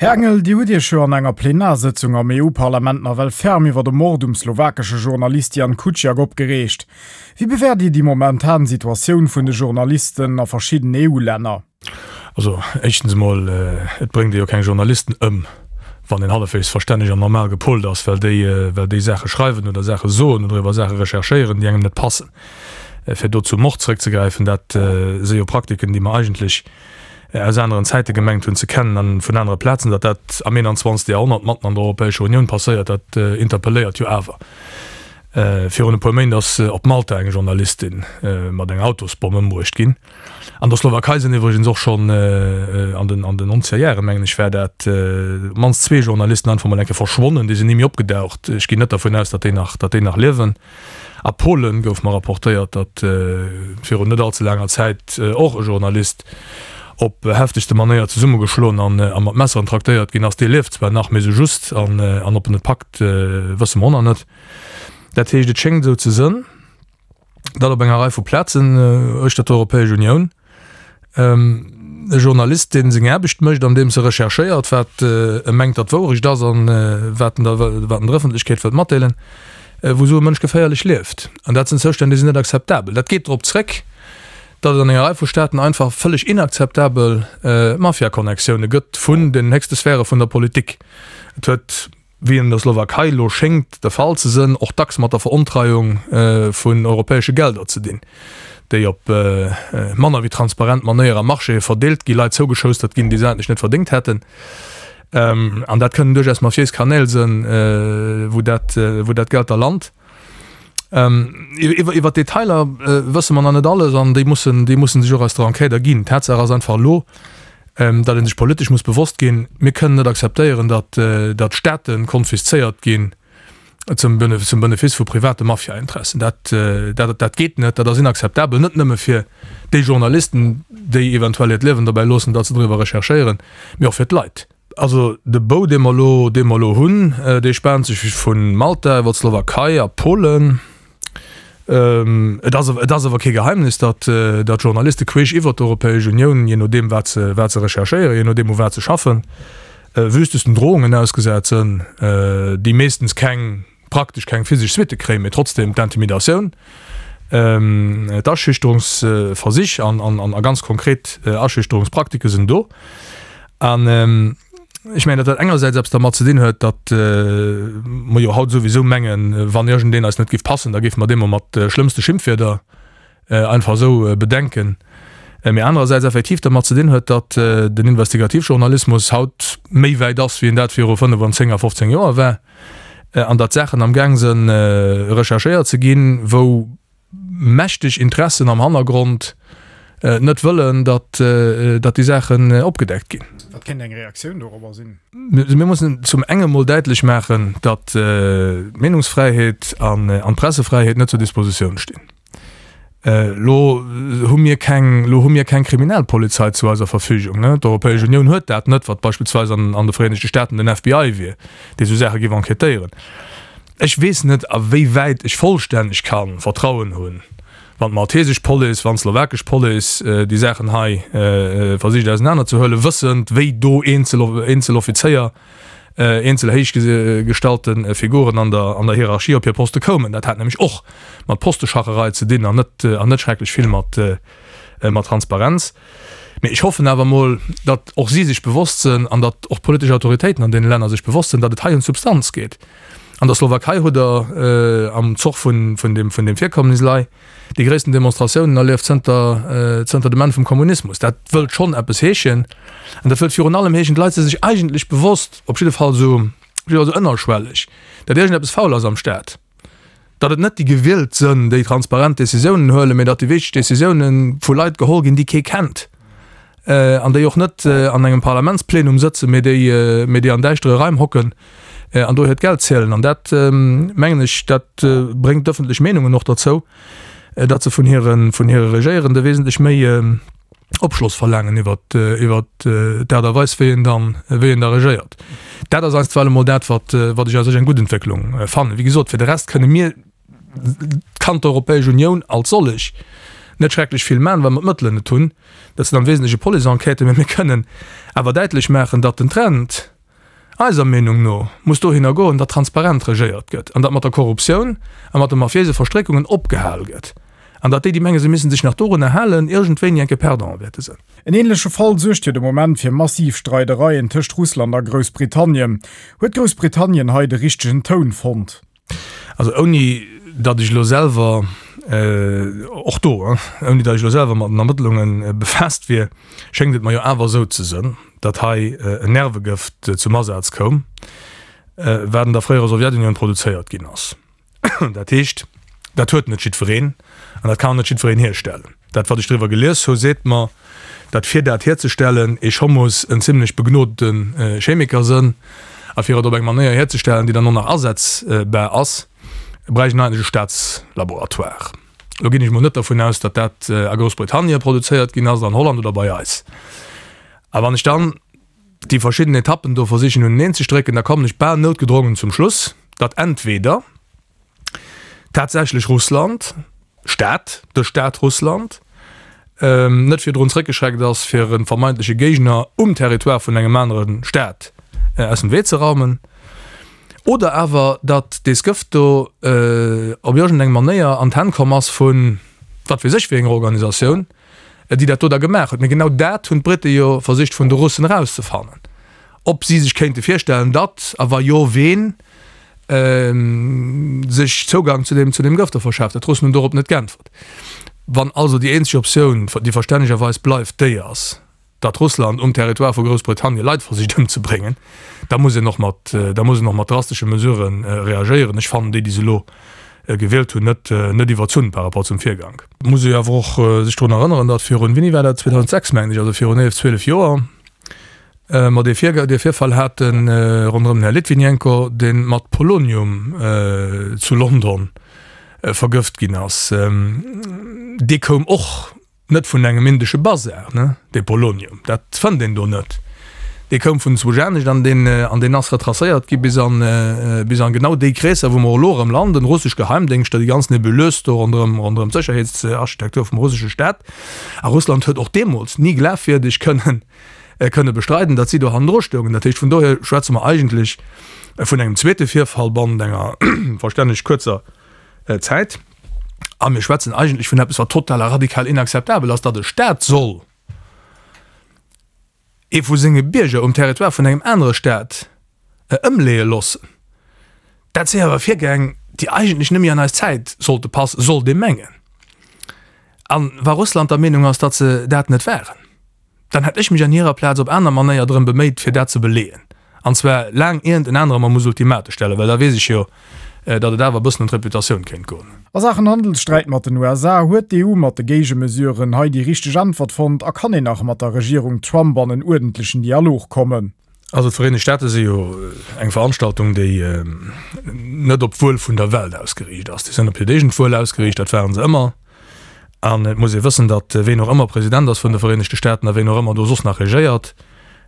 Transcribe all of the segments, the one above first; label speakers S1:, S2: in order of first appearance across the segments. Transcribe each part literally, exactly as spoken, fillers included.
S1: Här Engel, Dir hutt Iech jo an enger Plenarsëtzung am E U-Parlament nawell ferm iwwer de Mord um slowakesche Journalist Jan Kuciak opgereegt. Wéi bewäert Dir déi momentan Situatioun vun de Journalisten a verschidden E U-Länner?
S2: Also éischtens emol, et bréngt ee jo keng Journalisten ëm, wann een hallefweegs verstänneg an normal gepolt ass, well déi, well déi Saache schreiwen oder Saache soen oder iwwer Saache recherchéieren, déi engem net passen. Fir do zum Mord zrëckzegräifen, dat si jo Praktiken, déi mer eigentlech aus aneren Zäite gemengt hunn ze kennen an vun anere Plazen. Datt dat am eenanzwanzegste. Jahrhonnert matten an der Europäescher Unioun passéiert, dat interpelléiert jo awer. Virun e puer Méint ass op Malta eng Journalistin mat enger Autosbomm ëmbruecht ginn. An der Slowakei sinn iwwregens och schonn an den an den nonzeger Jahre, mengen ech war dat, op d'mannst zwee Journalisten einfach mol eng Kéier verschwonnen, déi sinn ni méi opgedaucht. Ech ginn net dervun aus, datt déi nach datt déi nach liewen. A Polen gouf mer rapportéiert, datt virun net allze laanger Zäit och e Journalist op heftegste Manéier zesummegeschloen an a mat Messeren traktéiert ginn ass. Dee lieft zwar nach, mee sou just, an an ob en et packt, wësse mer och nach net. Dat heescht, et schéngt esou ze sënn, datt op enger Rei vu Plazen uechter d'Europäesch Unioun e Journalist, dee seng Aarbecht mécht, andeems e recherchéiert, wat e mengt, datt d'Wourecht ass an wat en der wat en der Ëffentlechkeet wëllt matdeelen, wou esou e Mënsch geféierlech lieft. An dat sinn Zoustänn, déi sinn net akzeptabel. Dat geet drop zréck, datt et an enger Rei vu Staaten einfach vëlleg inakzeptabel Mafia-Connectioune gëtt vun den héchste Sphäre vun der Politik. Et huet, wéi an der Slowakei elo schéngt de Fall ze sënn, och dacks mat der Verontreiung vun europäesche Gelder ze dinn, déi op manner wéi transparent Manéier a Marchéë verdeelt gi, Leit zougeschoustert ginn, déi se eigentlech net verdéngt hätten. An dat kënnen duerchaus mafiéis Kanäl sënn, wou dat, wou dat Geld da lant. Iwwer d'Detailer wësse mer nach net alles an déi mussen, déi mussen sech och aus der Enquête erginn. Tatsaach ass einfach elo, datt ee sech politesch muss bewosst ginn, mir kënnen net akzeptéieren, datt, datt Staate konfiszéiert ginn zum zum Benefiss vu private Mafiainteressen. Dat, dat, dat geet net, dat ass inakzeptabel, net nëmme fir déi Journalisten, déi eventuell hiert Liewen dobäi loossen, datt se driwwer recherchéieren, mee och fir d'Leit. Also de Bou, dee mer elo, dee mer elo hunn, dee spaant sech vu Malta iwwer d'Slowakei a Polen. Et ass, et ass awer kee Geheimnis, datt, datt Journaliste queesch iwwer d'Europäesch Unioun, jee nodeem wat se, wat se recherchéieren, jee nodeem u wat se schaffen, wüstesten Drohungen ausgesat sënn, déi meeschtens keng, praktesch keng physesch Suitte kréien, mee trotzdem d'Intimidatioun, d'Aschüchterungsversich an, an, a ganz konkret Aschüchterungspraktike sinn do. An ech mengen, datt dat engersäits eppes dermat ze dinn huet, datt mer jo haut souwisou mengen, wann iergendeen eis net géif passen, da géife mer dee mol mat schlëmmste Schimpfwierder einfach esou bedenken, mee anerersäits effektiv dermat ze dinn huet, datt den Investigativjournalismus haut méi wäit ass, wéi en dat viru fënnef an zéng a fofzéng Joer war, an datt Saachen amgaang sënn recherchéiert ze ginn, wou mächteg Interessen am Hannergrond net wëllen, datt datt déi Saachen opgedeckt ginn.
S1: Wat kéint eng Reaktioun dorobber sinn?
S2: Mir mussen zum enge mol däitlech maachen, datt d'Meenungsfräiheet an d'Pressefräiheet net zur Dispositioun stinn. Elo hu mir keng, elo hu mir keng Kriminalpolizei zu eiser Verfügung. D'Europäesch Unioun huet dat net, wat beispillsweis an an de Vereenegte Staaten den F B I wier, dee sou Saache géif enquêtéieren. Ech weess net, a wéi wäit ech vollstänneg ka Vertrauen hunn, wann d'maltesesch Police, wann d'slowakesch Police déi Saachen hei versicht ausenanerzehuelen, wëssend, wéi do eenzel eenzel Offizéier, eenzel héich gestallte Figuren an der an der Hierarchie op hir Poste koumen. Dat hat nämlech och mat Posteschacherei ze dinn an net an net schrecklech vill mat mat Transparenz. Mee ech hoffen awer emol, datt och si sech bewosst sinn an datt och d'politesch Autoritéiten an deene Länner sech bewosst sinn, datt et hei ëm d'Substanz geet. An der Slowakei hutt Der am Zoch vun vun deem vun deem Virkommnis lei déi gréissten Demonstratiounen erlieft zënter zënter dem Enn vum Kommunismus. Dat wëllt schonn eppes heeschen. An dat wëllt virun allem heeschen, d'Leit si sech eigentlech bewosst, op jidde Fall esou, op jidde Fall esou ënnerschwelleg, datt iergendeppes faul ass am Staat, datt et net déi Gewielt sënn, déi transparent Decisiounen huelen, mee datt déi wichteg Decisiounen vu Leit geholl ginn, déi kee kennt an déi och net an engem Parlamentsplenum sëtzen, mee déi, mee déi an däischtere Raim hocken an do hiert Geld zielen. An dat, mengen ech, dat bréngt d'ëffentlech Meenungen och derzou, datt se vun hire, vun hire Regéierende wesentlech méi Opschloss verlaangen iwwert, iwwert d'Aart a Weis, wéi een dann, wéi een da regéiert. Dat ass einstweilen emol dat, wat, wat ech a sech eng gutt Entwécklung fannen. Wéi gesot, fir de Rest kënne mir, kann d'Europäesch Unioun als sollech net schrecklech vill man, well mer d'Mëttelen net hunn. Dat sinn am Wesentleche Police-Enquêten, mä mir kënnen awer däitlech maachen, datt den Trend, eiser Meenung no, muss dohinner goen, datt transparent regéiert gëtt an datt mat der Korruptioun a mat de mafiéise Verstréckungen opgehal gëtt an datt déi, déi mengen, se missten sech nach dorunner halen, iergendwéini enke Perdant wäerte sinn.
S1: En änleche Fall suergt jo de Moment fir massiv Streidereien tëscht Russland a Groussbritannien. Huet Groussbritannien hei de richtegen Toun fonnt?
S2: Also ouni datt ech elo selwer, och do, ouni datt ech elo selwer mat den Ermëttlunge befaasst wier, schéngt et mer jo awer esou ze sënn, datt hei en Nervegëft zum Asaz koum, wat an der fréierer Sowjetunioun produzéiert ginn ass. Dat heescht, dat huet net jiddwereen an dat kann och net jiddwereen hierstellen. Dat, wat ech driwwer gelies hu, seet mer, datt fir dat hierzestellen ee scho muss en zimlech begnodete Chemiker sënn a fir et op eng Manéier hierzestellen, déi dann och nach asetzbar ass, bräicht een eigentlech e Staatslaboratoire. Elo ginn ech mol net dervun aus, datt dat a Groussbritannien produzéiert ginn ass, an Holland oder bei eis. A wann ech dann déi verschidden Etappen do versichen uneneen ze strécken, da kommen ech bal noutgedrongen zum Schluss, datt entweder tatsächlech Russland, Staat, de Staat Russland, net virdrun zréckgeschreckt ass, fir e vermeintleche Géigner um Territoire vun engem anere Staat aus dem Wee ze raumen, oder awer datt dees Gëft do op iergendeng Manéier an d'Hänn komm ass vu wat weess ech wéi enger Organisatioun, déi dat do da gemaach huet. Mee genau dat hunn d'Brite jo versicht vun de Russen erauszefannen, ob si sech kéinte virstellen, datt, a wa jo, ween, sech Zougang zu deem zu deem Gëft do verschaaft huet. D'Russen hunn dorop net geäntwert. Wann also déi eenzeg Optioun, déi verstännegerweis bleift, déi ass, datt Russland um Territoire vu Groussbritannien Leit versicht ëmzebréngen, da muss een och mat, da muss een och mat drastesche Mesurë reagéieren. Ech fannen déi, déi se elo gewielt hunn, net, net iwwerzunn par rapport zum Virgank. Et muss ee jo awer och sech drun erënneren, datt virun, wéini war dat, zweedausendsechs mengen ech, also virun eelef, zwielef Joer, mer dee Virga, dee Virfall hate ronderëm den Här Litvinenko, dee mat Polonium zu London vergëft ginn ass. Dee koum och net vun engem indesche Bazar, ne, dee Polonium, dat fënnt een do net. Dee koum vun zwou anescht an deen, an deen ass retracéiert gi bis an, bis an genau déi Kreesser, wou mer elo erëm landen, russesch Geheimdéngschter, déi ganz Nebuleuse do ronderëm, ronderëm d'Sécherheetsarchitektur vum russesche Staat. A Russland huet och deemools ni glafwierdeg kënnen, kënne bestreiden, datt si do hannendru stoungen. Dat heescht, vun dohier schwätze mer eigentlech vun engem zweete Virfall bannent enger verstänneg kuerzer Zäit. A mir schwätzen eigentlech vun eppes, wat total a radikal inakzeptabel ass, datt e Staat soll ee vu senge Bierger um Territoire vun engem anere Staat ëmleeë loossen. Dat si awer Virgäng, déi eigentlech net méi an eis Zäit sollte passen, sollt ee mengen. A wa Russland der Meenung ass, datt se dat net waren, dann hätt ech mech an hirer Plaz op aner Manéier drëm beméit, fir dat ze beleeën, an zwar laang ierent en anere mer muss Ultimate stellen, well da weess ech jo, datt et awer e bëssen ëm d'Reputatioun kéint goen.
S1: A Saachen Handelssträit mat den U S A huet d'E U mat de Géigemesuren hei déi richteg Äntwert fonnt a kann een nach mat der Regierung Trump an en uerdentlechen Dialog kommen?
S2: Also d'Vereenegt Staate si jo eng Veranstaltung, déi net op d'Wuel vun der Welt ausgeriicht ass. Déi sinn op hiert eegent Wuel ausgeriicht, dat ware se ëmmer. An et muss ee wëssen, datt ween och ëmmer President ass vun de Vereenegte Staaten a ween och ëmmer do soss nach regéiert,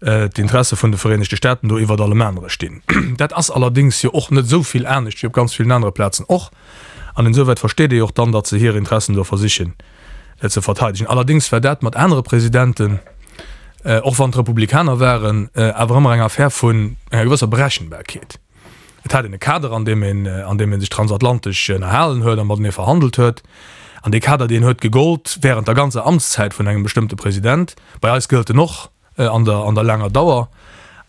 S2: d'Interesse vun de Vereenegte Staaten do iwwert allem anere stinn. Dat ass allerdéngs jo och net esou vill anescht wéi op ganz villen anere Plazen och. An insouwäit versteet ee jo och dann, datt se hir Interessen do versichen ze verteidegen. Allerdéngs war dat mat anere Presidenten, och wann et Republikaner waren, awer ëmmer eng Affär vun enger gewësser Berechenbarkeet. Et hat een e Kader, an deem een, an deem ee sech transatlantesch ënnerhalen huet a matenee verhandelt huet. An dee Kader, deen huet gegollt während der ganzer Amtszäit vun engem bestëmmte President. Bei eis gëllt en och an der, an der laanger Dauer.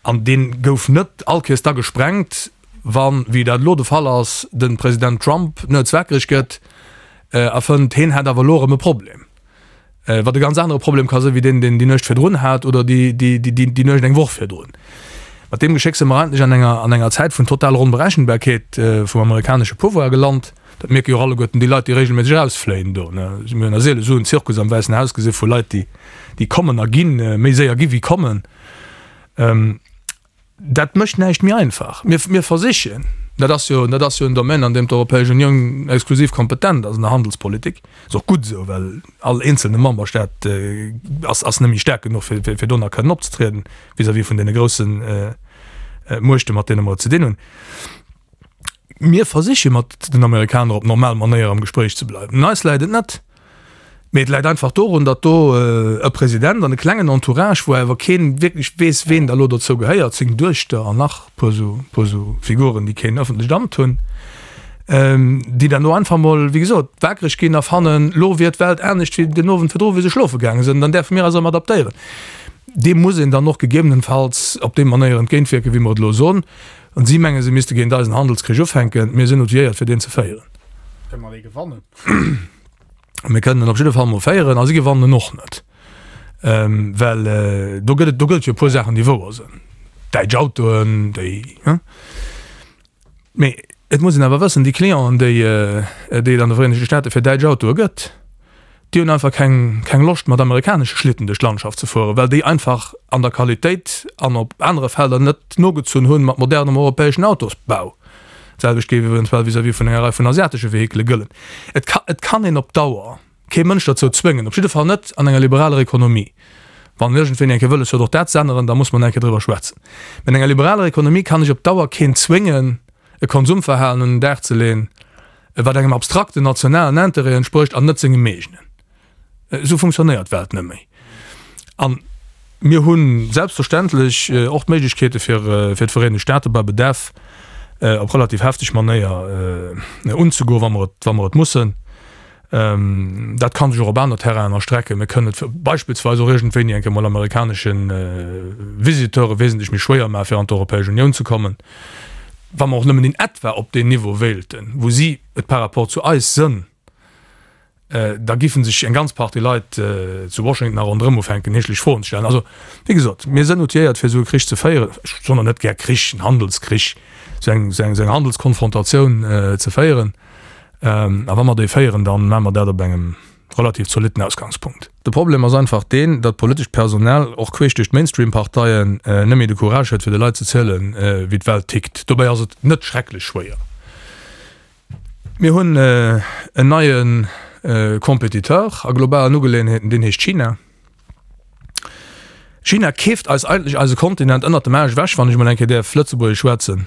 S2: An dee gouf net allkéiers da gesprengt, wann, wéi dat elo de Fall ass, de President Trump nuets wakereg gëtt a fënnt, heen hätt awer elo erëm e Problem. Wat e ganz anere Problem ka sinn, wéi deen, deen déi Nuecht virdrun hat oder déi, déi, déi, déi Nuecht eng Woch virdrun. Mat deem Geschéck si mer eigentlech an enger, an enger Zäit vun totaler Onberechenbarkeet vum amerikanesche Pouvoir gelant. Dat mierke jo och alleguerten déi Leit, déi regelméisseg erausfléien do. Mir hunn a seele sou en Zirkus am Wäissen Haus gesi vu Leit, déi, déi kommen a ginn, méi séier gi wéi kommen. Dat mécht näischt méi einfach. Mir, mir versichen, dat ass jo, dat ass jo en Domaine, an deem d'Europäesch Unioun exklusiv kompetent ass, an der Handelspolitik. Ass och gutt esou, well all eenzelne Memberstaat ass, ass net méi staark genuch, fir, fir, fir do nach kënnen opzetrieden vis-à-vis vun deene groussen Muechten, mat deene mer et ze dinn hunn. Mir versiche mat den Amerikaner op normal Manéier am Gespréich ze bleiwen. Un eis läit et net. Mee et läit einfach dorun, datt do e President an e klengen Entourage, wou awer kee wierklech weess, ween da elo dozou gehéiert, seng Duechter an nach e puer esou, puer esou Figuren, déi keen ëffentlecht Amt hunn, déi dann do einfach mol, wéi gesot, waakreg ginn a fannen, elo wier d'Welt anescht wéi den Owend virdru, wéi se schlofe gaange sinn, dann däerfe mir eis erëm adaptéieren. Deem muss een dann och gegebenenfalls op déi Manéier entgéintwierken, wéi mer et elo soen. An si mengen, si misste géint eis en Handelskrich ufänken. Mir sinn outilléiert, fir deen ze féieren.
S1: Kënne mer dee gewannen?
S2: Mir kënnen en op jidde Fall mol féieren a si gewannen en och net. Well do gëtt et, do gëtt et jo e puer Saachen, déi wouer sinn. Däitsch Autoen, déi, hein? Mee et muss een awer wëssen, déi Clienten, déi, déi et an de Vereenegte Staate fir däitsch Autoe gëtt, déi hunn einfach keng, keng Loscht mat amerikanesche Schlitten duerch d'Landschaft ze fueren, well déi einfach an der Qualitéit an op anere Felder net nogezunn hunn mat modernem europäeschen Autosbau. D'selwecht géif eventuell vis-à-vis vun enger Rei vun asiatesche Vehikele gëllen. Et ka, et kann een op Dauer kee Mënsch derzou zwéngen, op jidde Fall net an enger liberaler Ekonomie. Wann iergendween eng Kéier wëlles huet och dat z'änneren, da muss mer eng Kéier driwwer schwätzen. Mä an enger liberaler Ekonomie kann ech op Dauer keen zwéngen, e Konsumverhalen un den Dag ze leeën, wat engem abstrakten nationalen Interêt entsprécht an net sengem eegenen. Esou funktionéiert d'Welt net méi. A mir hu selbstverständlech och d'Méiglechkeete fir fir d'Vereenegt Staate bei Bedarf op relativ hefteg Manéier unzegoen, wa mer et, wa mer et mussen. Dat ka sech och op aner Terrainen erstrecken. Mir kënnen et beispillsweis och iergendwéini eng Kéier mol amerikanesche Visiteure wesentlech méi schwéier maachen, fir an d'Europäesch Unioun ze kommen, wa mer och nëmmen in etwa op deen Niveau wéilten, wou si et par rapport zu eis sënn. Da géife sech eng ganz Partie Leit zu Washington a ronderëm ufänken, heeschlech Froen ze stellen. Also, wéi gesot, mir sënn outilléiert, fir esou e Krich ze féieren. Ech soen och net gär Krich, en Handelskrich, esou eng, esou eng Handelskonfrontatioun ze féieren. A wa mer déi féieren, da maache mer dat op engem relativ zolitten Ausgangspunkt. De Problem ass einfach deen, datt d'politescht Personal, och queesch duerch d'Mainstream-Parteien, net méi de Courage huet, fir de Leit ze zielen, wéi d'Welt tickt. Dobäi ass et net schrecklech schwéier. Mir hunn en neie Compétiteur a globalen Ugeleeënheeten, deen heescht China. China keeft eis eigentlech eise Kontinent ënnert dem Aarsch ewech, wann ech emol eng Kéier däerf Lëtzebuergesch schwätzen.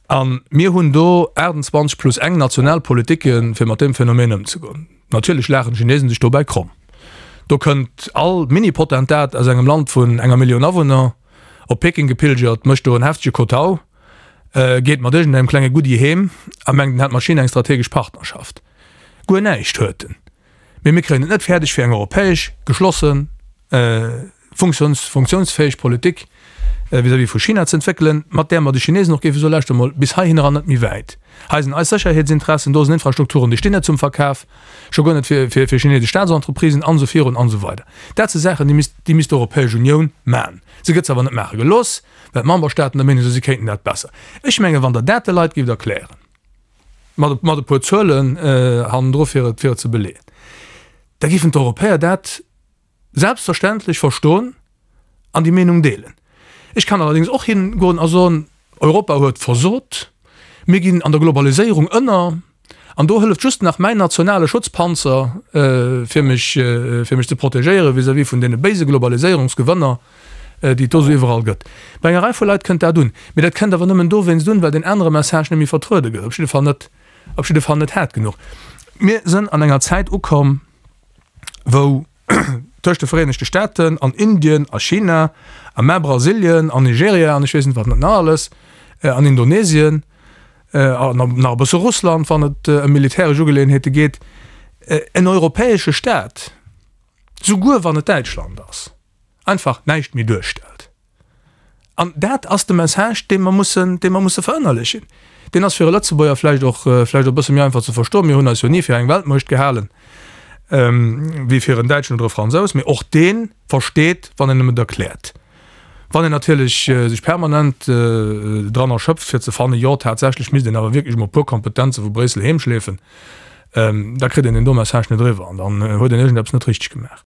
S2: A mir hunn do aachtundzwanzeg plus eng national Politiken, fir mat deem Phänomen ëmzegoen. Natierlech laachen d'Chinesen sech dobäi kromm. Do kënnt all Mini-Potentat aus engem Land vun enger Millioun Awunner op Peking gepilgert, mécht do en heftege Kotau, geet mat iergendengem klenge Goodie heem a mengt, en hätt mat China eng strategesch Partnerschaft. Guer näischt huet en. Mee mir kréien et net fäerdeg, fir eng europäesch geschlossen, funktionsfäeg Politik vis-à-vis vu China ze entwéckelen, mat där mer de Chinesen och géife soen, Lauschtert emol, bis heihinner an net méi wäit. Hei sinn eis Sécherheetsinteressen, do sinn Infrastrukturen, déi stinn net zum Verkaf, scho guer net fir fir chinesesch Staatentreprisen an esou virun an esou weider. Dat si Saachen, déi misst déi misst d'Europäesch Unioun maachen. Se gëtt se awer net maache gelooss, well d'Memberstaaten der Meenung sinn, si kéinten dat besser. Ech mengen, wann Der dat de Leit géift erklären, mat mat e puer Zuelen hannendru fir et fir et ze beleeën, da géifen d'Europäer dat selbstverständlech verstoen an déi Meenung deelen. Ech kann allerdéngs och hingoen a soen, Europa huet versot, mir ginn an der Globaliséierung ënner an do hëlleft just nach mäin nationale Schutzpanzer, fir mech, fir mech ze protegéiere vis-à-vis vun deene béise Globaliséierungsgewënner, déi et do esou iwwerall gëtt. Bei enger Rei vu Leit kënnt dat un, mee dat kënnt awer nëmmen dowéinst un, well deen anere Message net méi vertruede gëtt, op jidde Fall net, op jidde Fall net haart genuch. Mir sënn an enger Zäit ukomm, wou tëscht de Vereenegte Staaten an Indien a China a mä Brasilien an Nigeria an ech weess net wat nach alles an Indonesien an nach e bësse Russland, wann et ëm militäresch Ugeleeënheete geet, en europäesche Staat, souguer wann et Däitschland ass, einfach näischt méi duerstellt. An dat ass de Message, dee mer mussen, dee mer musse verënnerlechen. Deen ass fir e Lëtzebuerger vläicht och, vläicht och e bësse méi einfach ze verstoen. Mir hunn eis jo ni fir eng Weltmuecht gehalen, wéi fir en Däitschen oder e Fransous. Mee och dee versteet, wann een em et erkläert. Wann een natierlech sech permanent dran erschöpft, fir ze fannen, jo, tatsächlech misst een awer wierklech emol e puer Kompetenze vu Bréissel heemschleefen, da kritt een deen do Message net eriwwer an dann huet een iergendeppes net richteg gemaach.